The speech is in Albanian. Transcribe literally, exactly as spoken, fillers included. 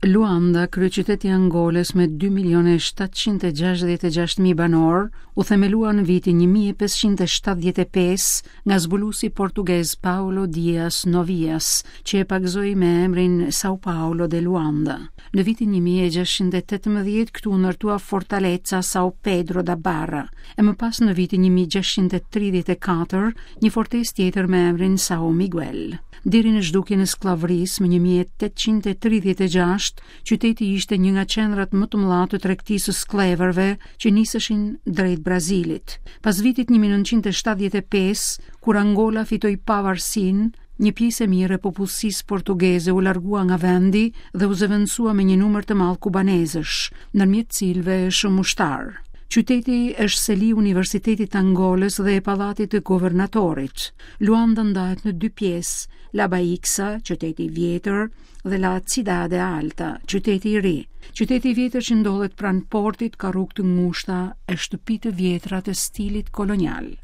Luanda, kryeqyteti i Angolës me dy milionë e shtatëqind e gjashtëdhjetë e gjashtë mijë banorë, u themelua në vitin një mijë e pesëqind e shtatëdhjetë e pesë nga zbuluesi portugez Paulo Dias Novias, që e pagëzoi me emrin São Paulo de Luanda. Në vitin një mijë e gjashtëqind e tetëmbëdhjetë këtu u ndërtua Fortaleza São Pedro da Barra, e më pas në vitin një mijë e gjashtëqind e tridhjetë e katër një fortesë tjetër me emrin São Miguel. Deri në zhdukjen e skllavërisë më një mijë e tetëqind e tridhjetë e gjashtë, qyteti ishte një nga qendrat më të mëdha të tregtisë së skllevërve që niseshin drejt Brazilit. Pas vitit një mijë e nëntëqind e shtatëdhjetë e pesë, kur Angola fitoi pavarësinë, një pjesë e mirë e popullsisë portugeze u largua nga vendi dhe u zëvendësua me një numër të madh kubanezësh, ndërmjet cilëve shumë ushtar. Qyteti është seli Universitetit të Angolës dhe e Pallatit të Guvernatorit. Luanda ndahet në dy pjesë, La Baixa, qyteti i vjetër, dhe La Cidade Alta, qyteti i ri. Qyteti i vjetër që ndodhet pranë portit ka rrugë të ngushta e shtëpi të vjetra të stilit kolonial.